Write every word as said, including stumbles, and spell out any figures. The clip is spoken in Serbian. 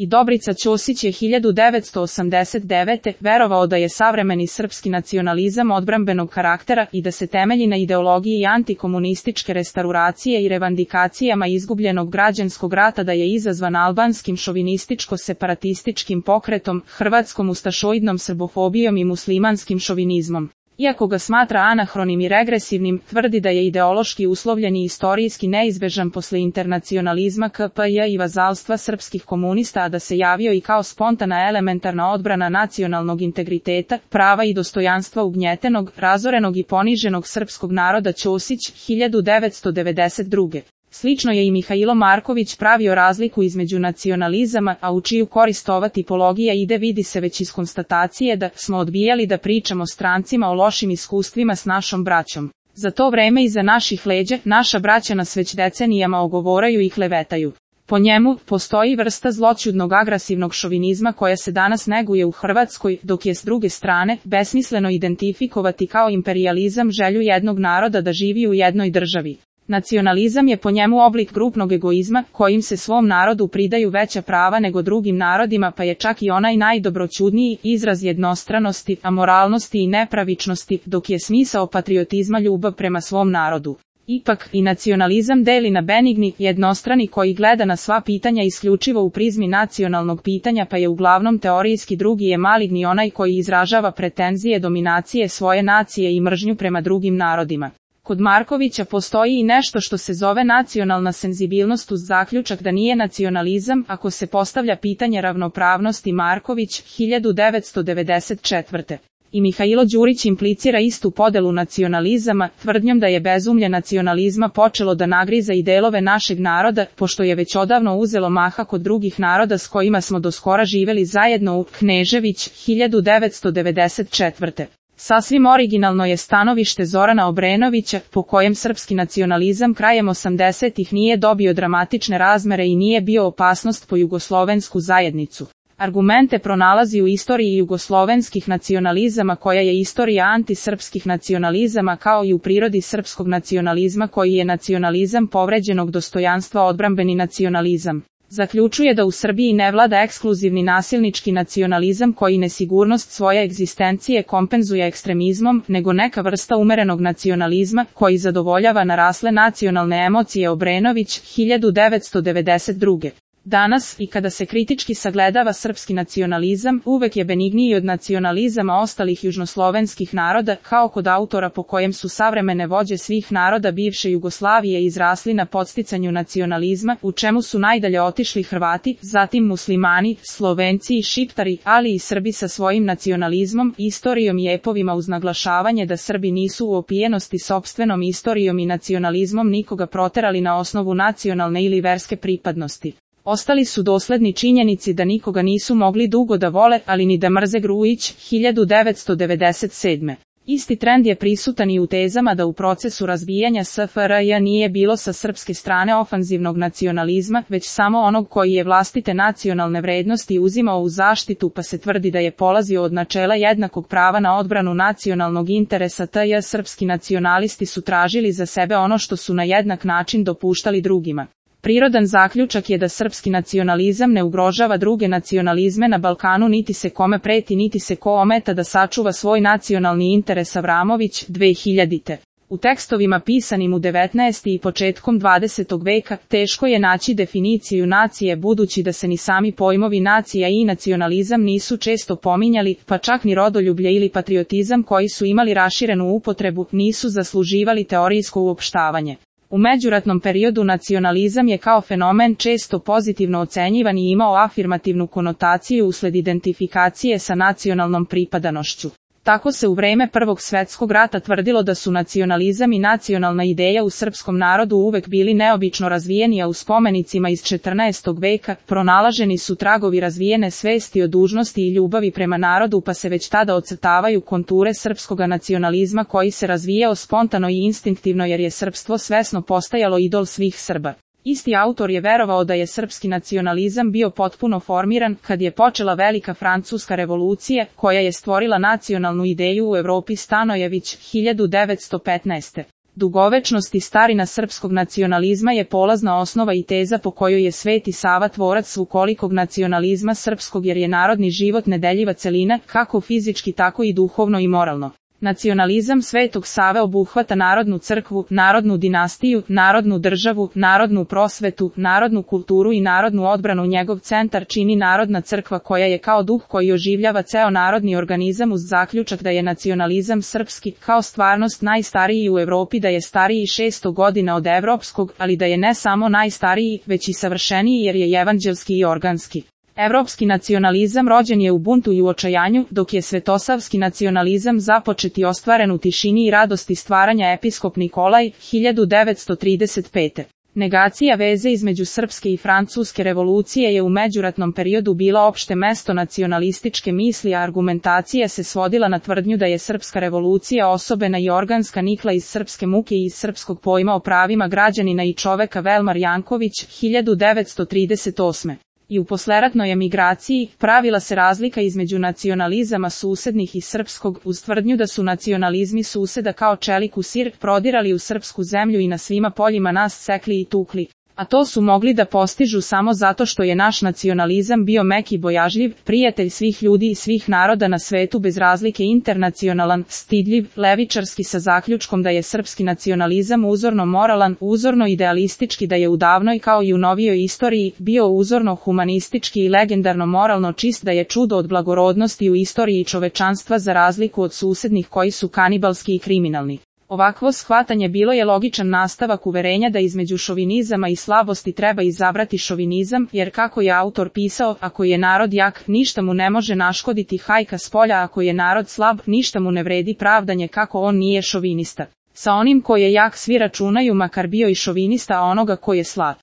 I Dobrica Ćosić je hiljadu devetsto osamdeset devete. verovao da je savremeni srpski nacionalizam odbrambenog karaktera i da se temelji na ideologiji antikomunističke restauracije i revandikacijama izgubljenog građanskog rata, da je izazvan albanskim šovinističko-separatističkim pokretom, hrvatskom ustašoidnom srbofobijom i muslimanskim šovinizmom. Iako ga smatra anahronim i regresivnim, tvrdi da je ideološki uslovljen i istorijski neizbežan posle internacionalizma K P J i vazalstva srpskih komunista, a da se javio i kao spontana elementarna odbrana nacionalnog integriteta, prava i dostojanstva ugnjetenog, razorenog i poniženog srpskog naroda. Ćosić, hiljadu devetsto devedeset druge. Slično je i Mihailo Marković pravio razliku između nacionalizama, a u čiju korist ova tipologija ide vidi se već iz konstatacije da smo odbijali da pričamo strancima o lošim iskustvima s našom braćom. Za to vreme iza naših leđa, naša braća nas već decenijama ogovaraju i klevetaju. Po njemu, postoji vrsta zloćudnog agresivnog šovinizma koja se danas neguje u Hrvatskoj, dok je s druge strane, besmisleno identifikovati kao imperijalizam želju jednog naroda da živi u jednoj državi. Nacionalizam je po njemu oblik grupnog egoizma, kojim se svom narodu pridaju veća prava nego drugim narodima, pa je čak i onaj najdobroćudniji izraz jednostranosti, amoralnosti i nepravičnosti, dok je smisao patriotizma ljubav prema svom narodu. Ipak, i nacionalizam deli na benigni, jednostrani koji gleda na sva pitanja isključivo u prizmi nacionalnog pitanja, pa je uglavnom teorijski drugi je maligni onaj koji izražava pretenzije dominacije svoje nacije i mržnju prema drugim narodima. Kod Markovića postoji i nešto što se zove nacionalna senzibilnost uz zaključak da nije nacionalizam ako se postavlja pitanje ravnopravnosti. Marković, hiljadu devetsto devedeset četvrte. I Mihailo Đurić implicira istu podelu nacionalizama, tvrdnjom da je bezumlje nacionalizma počelo da nagriza i delove našeg naroda, pošto je već odavno uzelo maha kod drugih naroda s kojima smo doskora živeli zajedno. U Knežević, hiljadu devetsto devedeset četvrte. Sasvim originalno je stanovište Zorana Obrenovića, po kojem srpski nacionalizam krajem osamdesetih nije dobio dramatične razmere i nije bio opasnost po jugoslovensku zajednicu. Argumente pronalazi u istoriji jugoslovenskih nacionalizama, koja je istorija antisrpskih nacionalizama, kao i u prirodi srpskog nacionalizma koji je nacionalizam povređenog dostojanstva, odbrambeni nacionalizam. Zaključuje da u Srbiji ne vlada ekskluzivni nasilnički nacionalizam koji nesigurnost svoje egzistencije kompenzuje ekstremizmom, nego neka vrsta umerenog nacionalizma koji zadovoljava narasle nacionalne emocije. Obrenović, hiljadu devetsto devedeset druge. Danas, i kada se kritički sagledava srpski nacionalizam, uvek je benigniji od nacionalizama ostalih južnoslovenskih naroda, kao kod autora po kojem su savremene vođe svih naroda bivše Jugoslavije izrasli na podsticanju nacionalizma, u čemu su najdalje otišli Hrvati, zatim muslimani, Slovenci i Šiptari, ali i Srbi sa svojim nacionalizmom, istorijom i epovima, uz naglašavanje da Srbi nisu u opijenosti sopstvenom istorijom i nacionalizmom nikoga proterali na osnovu nacionalne ili verske pripadnosti. Ostali su dosledni činjenici da nikoga nisu mogli dugo da vole, ali ni da mrze. Grujić, hiljadu devetsto devedeset sedme. Isti trend je prisutan i u tezama da u procesu razbijanja S F R J nije bilo sa srpske strane ofanzivnog nacionalizma, već samo onog koji je vlastite nacionalne vrednosti uzimao u zaštitu, pa se tvrdi da je polazio od načela jednakog prava na odbranu nacionalnog interesa. Tj. srpski nacionalisti su tražili za sebe ono što su na jednak način dopuštali drugima. Prirodan zaključak je da srpski nacionalizam ne ugrožava druge nacionalizme na Balkanu, niti se kome preti, niti se ko ometa da sačuva svoj nacionalni interes. Avramović, dve hiljadite. U tekstovima pisanim u devetnaestom i početkom dvadesetog veka, teško je naći definiciju nacije, budući da se ni sami pojmovi nacija i nacionalizam nisu često pominjali, pa čak ni rodoljublje ili patriotizam koji su imali raširenu upotrebu, nisu zasluživali teorijsko uopštavanje. U međuratnom periodu nacionalizam je kao fenomen često pozitivno ocenjivan i imao afirmativnu konotaciju usled identifikacije sa nacionalnom pripadanošću. Tako se u vreme Prvog svjetskog rata tvrdilo da su nacionalizam i nacionalna ideja u srpskom narodu uvek bili neobično razvijeni, a u spomenicima iz četrnaestog veka pronalaženi su tragovi razvijene svesti o dužnosti i ljubavi prema narodu, pa se već tada ocrtavaju konture srpskoga nacionalizma koji se razvijao spontano i instinktivno, jer je srpstvo svesno postajalo idol svih Srba. Isti autor je verovao da je srpski nacionalizam bio potpuno formiran kad je počela Velika Francuska revolucija, koja je stvorila nacionalnu ideju u Evropi. Stanojević, hiljadu devetsto petnaeste. Dugovečnost i starina srpskog nacionalizma je polazna osnova i teza po kojoj je Sveti Sava tvorac svukolikog nacionalizma srpskog, jer je narodni život nedeljiva celina, kako fizički tako i duhovno i moralno. Nacionalizam Svetog Save obuhvata narodnu crkvu, narodnu dinastiju, narodnu državu, narodnu prosvetu, narodnu kulturu i narodnu odbranu. Njegov centar čini narodna crkva koja je kao duh koji oživljava ceo narodni organizam, uz zaključak da je nacionalizam srpski kao stvarnost najstariji u Evropi, da je stariji šesto godina od evropskog, ali da je ne samo najstariji, već i savršeniji jer je evanđelski i organski. Evropski nacionalizam rođen je u buntu i u očajanju, dok je svetosavski nacionalizam započet i ostvaren u tišini i radosti stvaranja. Episkop Nikolaj, hiljadu devetsto trideset pete. Negacija veze između srpske i francuske revolucije je u međuratnom periodu bila opšte mesto nacionalističke misli, a argumentacija se svodila na tvrdnju da je srpska revolucija osobena i organska, nikla iz srpske muke i iz srpskog pojma o pravima građanina i čoveka. Velmar Janković, hiljadu devetsto trideset osme. I u posleratnoj emigraciji pravila se razlika između nacionalizama susednih i srpskog, uz tvrdnju da su nacionalizmi suseda kao čelik u sir prodirali u srpsku zemlju i na svima poljima nas sekli i tukli. A to su mogli da postižu samo zato što je naš nacionalizam bio mek i bojažljiv, prijatelj svih ljudi i svih naroda na svetu bez razlike, internacionalan, stidljiv, levičarski, sa zaključkom da je srpski nacionalizam uzorno moralan, uzorno idealistički, da je u davnoj kao i u novijoj istoriji bio uzorno humanistički i legendarno moralno čist, da je čudo od blagorodnosti u istoriji čovečanstva za razliku od susednih koji su kanibalski i kriminalni. Ovakvo shvatanje bilo je logičan nastavak uverenja da između šovinizama i slabosti treba izabrati šovinizam, jer kako je autor pisao, ako je narod jak, ništa mu ne može naškoditi hajka s polja, ako je narod slab, ništa mu ne vredi pravdanje kako on nije šovinista. Sa onim ko je jak svi računaju, makar bio i šovinista, a onoga ko je slab